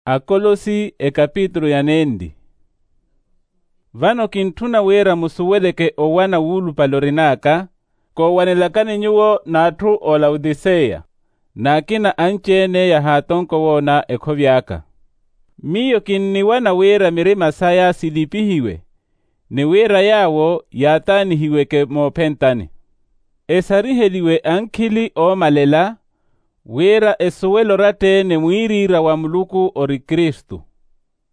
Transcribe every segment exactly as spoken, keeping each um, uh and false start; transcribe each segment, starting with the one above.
Akolosi ekapitulu ya nenli. Vano kintthuna wira musuweleke owana wuulupale orin'aka, koowanelakani nyuwo n'atthu oolautiseya, n'akina anci-ene yahaatonkowoona ekhovi aka. Miyo kinniwana wira mirima saya silipihiwe, ni wira yaawo yaataanihiweke moophentani, esariheliwe ankhili oomalela, wira esuwele oratta-ene mwiiriira wa muluku ori kristu.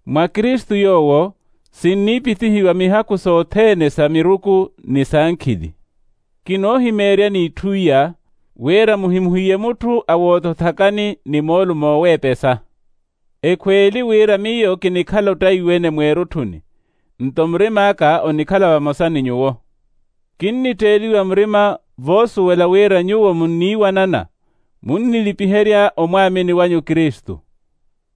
Mwa kristu yoowo sinniipitihiwa mihaku sothene sa miruku ni sa nkhili. Kinoohimeeryani itthu iya, wira muhimuhiye mutthu awootothakani ni moolumo ooweepesa. Ekhweeli wira miyo kinikhala ottaiwene mweerutthuni, nto murim'aka onikhala vamosa ni nyuwo. Kinnitteeliwa murima voosuwela wira nyuwo munniiwanana, munnilipiherya omwaamini wanyu kristu.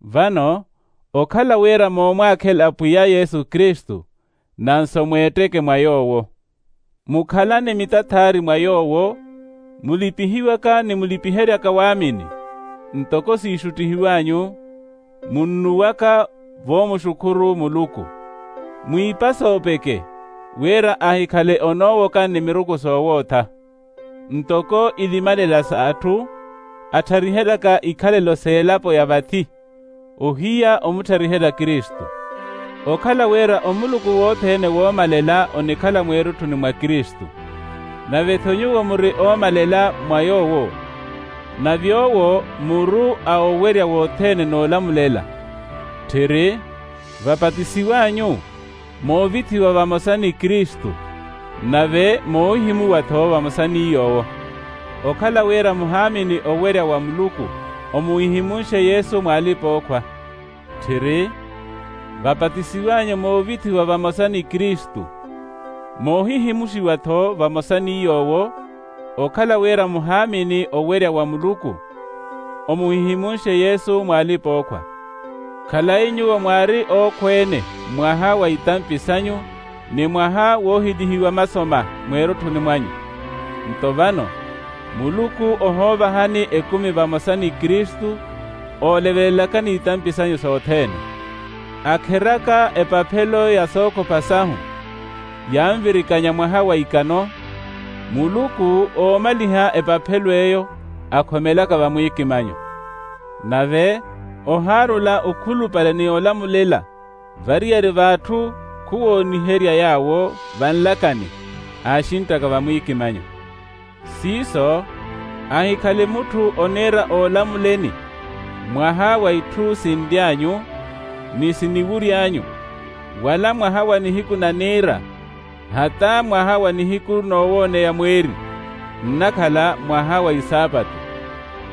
Vano okhala wira moomwaakhela pwiya yesu kristu, nanso mweetteke mwa yoowo. Mukhalane mitathaari mwa yoowo, mulipihiwaka ni mulipiheryaka waamini, ntoko siixuttihiw'anyu, munnuwaka voomuxukhuru muluku. Mwiipa soopeke, wira ahikhale onoowoka ni miruku soowootha, ntoko ilimalela s'atthu attharihelaka ikhalelo s'elapo ya vathi, ohiya omutthariherya kristu. Okhala wira omuluku wothene woomalela onikhala mweerutthuni mwa kristu, nave-tho nyuwo muri oomalela mwa yoowo, nave owo muru a owerya wothene n'olamulela. Tthiri, vapatisiw'anyu, moovithiwa vamosa ni kristu, nave moohihimuwa-tho vamosa ni yoowo. Okhala wira muhaamini owerya wa muluku, omuhihimunxe yesu mw'alipa-ookhwa. Tthiri, vapatisiw'anyu moovithiwa vamosa ni kristu, moohihimuxiwa-tho vamosa ni yoowo. Okhala wira muhaamini owerya wa muluku, omuhihimunxe yesu mw'alipa-ookhwa. Khalayi nyuwo mwaari ookhweene mwaha wa itampi sanyu, ni mwaha woohilihiwa masoma mweerutthuni mwanyu. Nto vano, muluku ohoovahani ekumi vamosa ni kristu, oolevelelakani itampi sanyu sothene. Akheraka epaphelo ya sookhopha sahu, yanvirikanya mwaha wa ikano, muluku oomaliha epaphelo eyo akhomelaka vamwiikimanyo. Nave ohaarula okhulupale ni olamulela, variyari v'atthu khuwooniherya yaawo vanlakani, aaxinttaka vamwiikimanyo. Siiso, ahikhale mutthu oniira oolamuleni mwaha wa itthu sinly'anyu, ni siniwury'anyu, wala mwaha wa nihiku na niira, hata mwaha wa nihiku noowooneya mweeri, nnakhala mwaha wa isaapatu.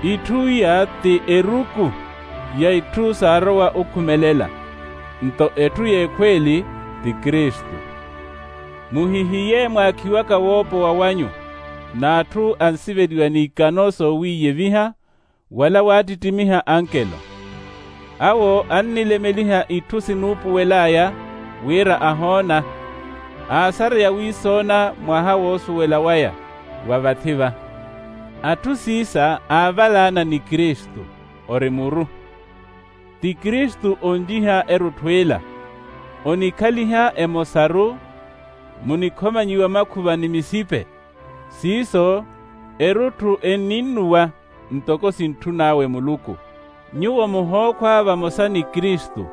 Itthu iya ti eruku ya itthu saarowa okhumelela, nto etthu y'ekhweeli ti kristu. Muhihiye mwaakhiwaka woopowa wanyu n'atthu ansiveliwa n'ikano soowiiyeviha, wala waattittimiha ankelo. Awo annilemeliha itthu sinuupuwel'aya wira ahoona, aasareya wiisoona mwaha woosuwela waya wa vathi-va. Atthu siisa aavalaana ni kristu, ori muru. Ti kristu onjiha erutthu ila, onikhaliha emosaru, munikhomanyiwa makhuva ni misipe. Siiso erutthu enninnuwa ntoko sintthun'awe muluku. Nyuwo muhookhwa vamosa ni kristu,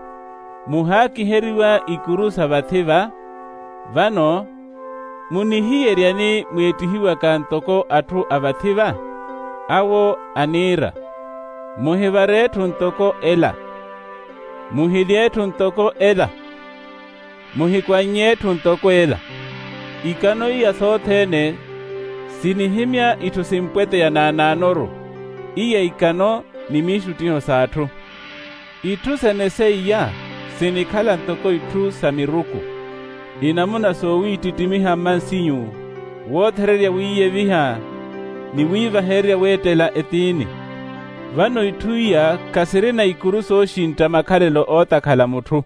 muhaakiheriwa ikuru sa vathi-va. Vano munihiyeryani mweettihiwaka ntoko atthu a vathi-va? Awo aniira, muhivare etthu ntoko ela, muhilye etthu ntoko ela, muhikwan'nye etthu ntoko ela. Ikano iya sothene sinihimya itthu simpweteya naanaanoru, iya ikano ni miixuttiho s'atthu. Itthu sene seiya sinikhala ntoko itthu sa miruku, inamuna soowiittittimiha mmansinyu, woothererya wiiyeviha, ni wiivahererya weettela etiini. Vano itthu iya khasirina ikuru sooxintta makhalelo ootakhala mutthu.